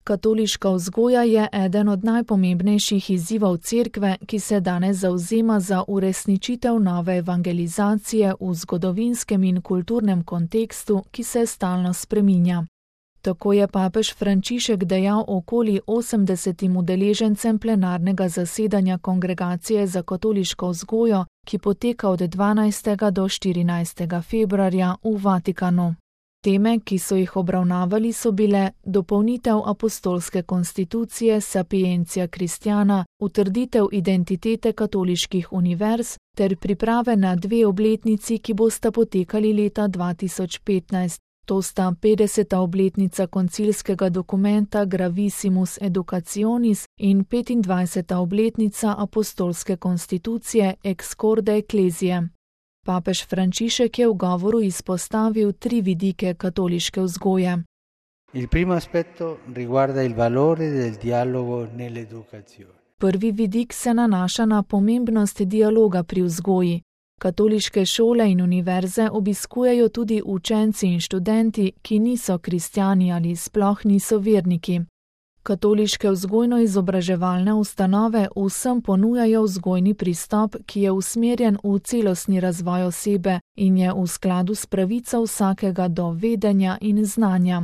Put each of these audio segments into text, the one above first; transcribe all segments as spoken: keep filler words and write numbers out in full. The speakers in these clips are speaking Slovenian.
Katoliška vzgoja je eden od najpomembnejših izzivov Cerkve, ki se danes zavzema za uresničitev nove evangelizacije v zgodovinskem in kulturnem kontekstu, ki se stalno spreminja. Tako je papež Frančišek dejal okoli osemdesetim udeležencem plenarnega zasedanja Kongregacije za katoliško vzgojo, ki poteka od dvanajstega do štirinajstega februarja v Vatikanu. Teme, ki so jih obravnavali, so bile dopolnitev apostolske konstitucije Sapientia Christiana, utrditev identitete katoliških univerz ter priprave na dve obletnici, ki bosta potekali leta dva tisoč petnajst. To sta petdeseta obletnica koncilskega dokumenta Gravissimus Educationis in petindvajseta obletnica apostolske konstitucije Ex Corde Ecclesiae. Papež Frančišek je v govoru izpostavil tri vidike katoliške vzgoje. Il primo aspetto riguarda il valore del dialogo nell'educazione. Prvi vidik se nanaša na pomembnost dialoga pri vzgoji. Katoliške šole in univerze obiskujejo tudi učenci in študenti, ki niso kristjani ali sploh niso verniki. Katoliške vzgojno-izobraževalne ustanove vsem ponujajo vzgojni pristop, ki je usmerjen v celostni razvoj osebe in je v skladu s pravico vsakega do vedenja in znanja.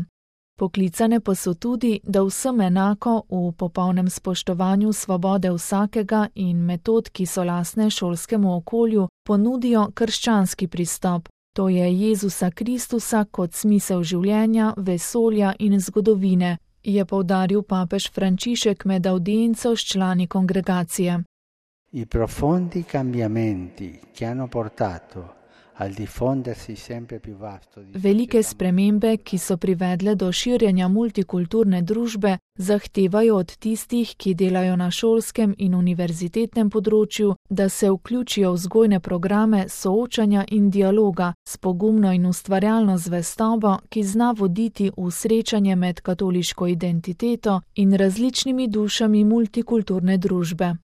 Poklicane pa so tudi, da vsem enako v popolnem spoštovanju svobode vsakega in metod, ki so lastne šolskemu okolju, ponudijo krščanski pristop, to je Jezusa Kristusa kot smisel življenja, vesolja in zgodovine, je poudaril papež Frančišek med audienco s člani kongregacije. I profondi cambiamenti che hanno portato al diffondersi sempre più vasto di Velike spremembe, ki so privedle do širjenja multikulturne družbe, zahtevajo od tistih, ki delajo na šolskem in univerzitetnem področju, da se vključijo v vzgojne programe soočanja in dialoga s pogumno in ustvarjalno zvestobo, ki zna voditi v srečanje med katoliško identiteto in različnimi dušami multikulturne družbe.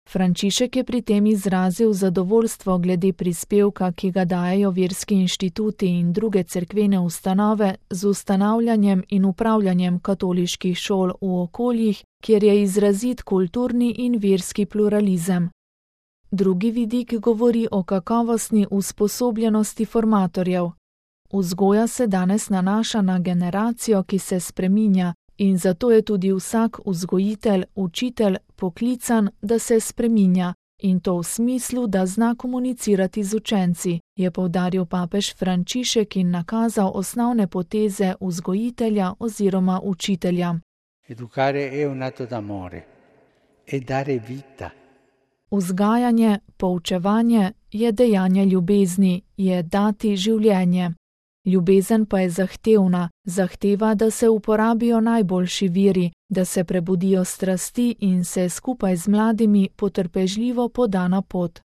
Frančišek je pri tem izrazil zadovoljstvo glede prispevka, ki ga dajejo verski inštituti in druge cerkvene ustanove z ustanavljanjem in upravljanjem katoliških šol v okoljih, kjer je izrazit kulturni in verski pluralizem. Drugi vidik govori o kakovostni usposobljenosti formatorjev. Vzgoja se danes nanaša na generacijo, ki se spreminja, in zato je tudi vsak vzgojitelj, učitelj poklican, da se spreminja, in to v smislu, da zna komunicirati z učenci, je poudaril papež Frančišek in nakazal osnovne poteze vzgojitelja oziroma učitelja. Educare è un atto d'amore, è dare vita. Vzgajanje, poučevanje je dejanje ljubezni, je dati življenje. Ljubezen pa je zahtevna, zahteva, da se uporabijo najboljši viri, da se prebudijo strasti in se skupaj z mladimi potrpežljivo poda na pot.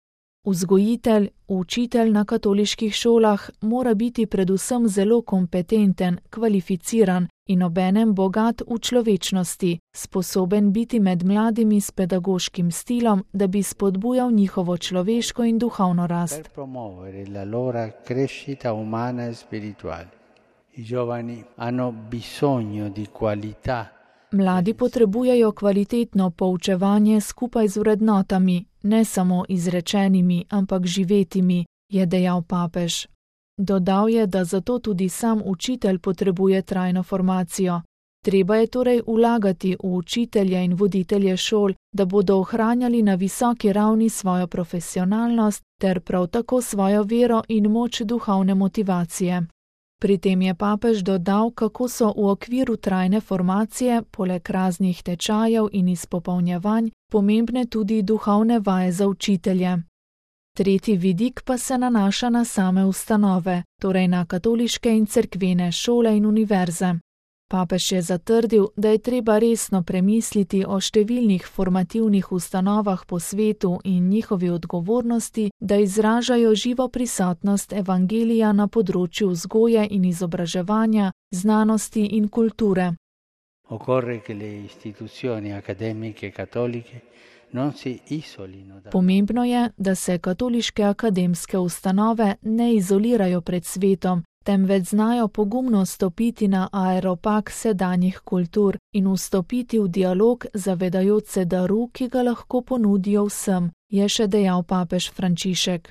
Vzgojitelj, učitelj na katoliških šolah mora biti predvsem zelo kompetenten, kvalificiran in obenem bogat v človečnosti, sposoben biti med mladimi s pedagoškim stilom, da bi spodbujal njihovo človeško in duhovno rast. Per promuovere la loro crescita umana e spirituale. I giovani hanno bisogno di qualità. Mladi potrebujejo kvalitetno poučevanje skupaj z vrednotami, ne samo izrečenimi, ampak živetimi, je dejal papež. Dodal je, da zato tudi sam učitelj potrebuje trajno formacijo. Treba je torej vlagati v učitelje in voditelje šol, da bodo ohranjali na visoki ravni svojo profesionalnost ter prav tako svojo vero in moč duhovne motivacije. Pri tem je papež dodal, kako so v okviru trajne formacije, poleg raznih tečajev in izpopolnjevanj, pomembne tudi duhovne vaje za učitelje. Tretji vidik pa se nanaša na same ustanove, torej na katoliške in cerkvene šole in univerze. Papež je zatrdil, da je treba resno premisliti o številnih formativnih ustanovah po svetu in njihovi odgovornosti, da izražajo živo prisotnost evangelija na področju vzgoje in izobraževanja, znanosti in kulture. Occorre che le istituzioni accademiche cattoliche non si isolino da... Pomembno je, da se katoliške akademske ustanove ne izolirajo pred svetom temveč znajo pogumno stopiti na aeropag sedanjih kultur in vstopiti v dialog, zavedajoč se daru, ki ga lahko ponudijo vsem, je še dejal papež Frančišek.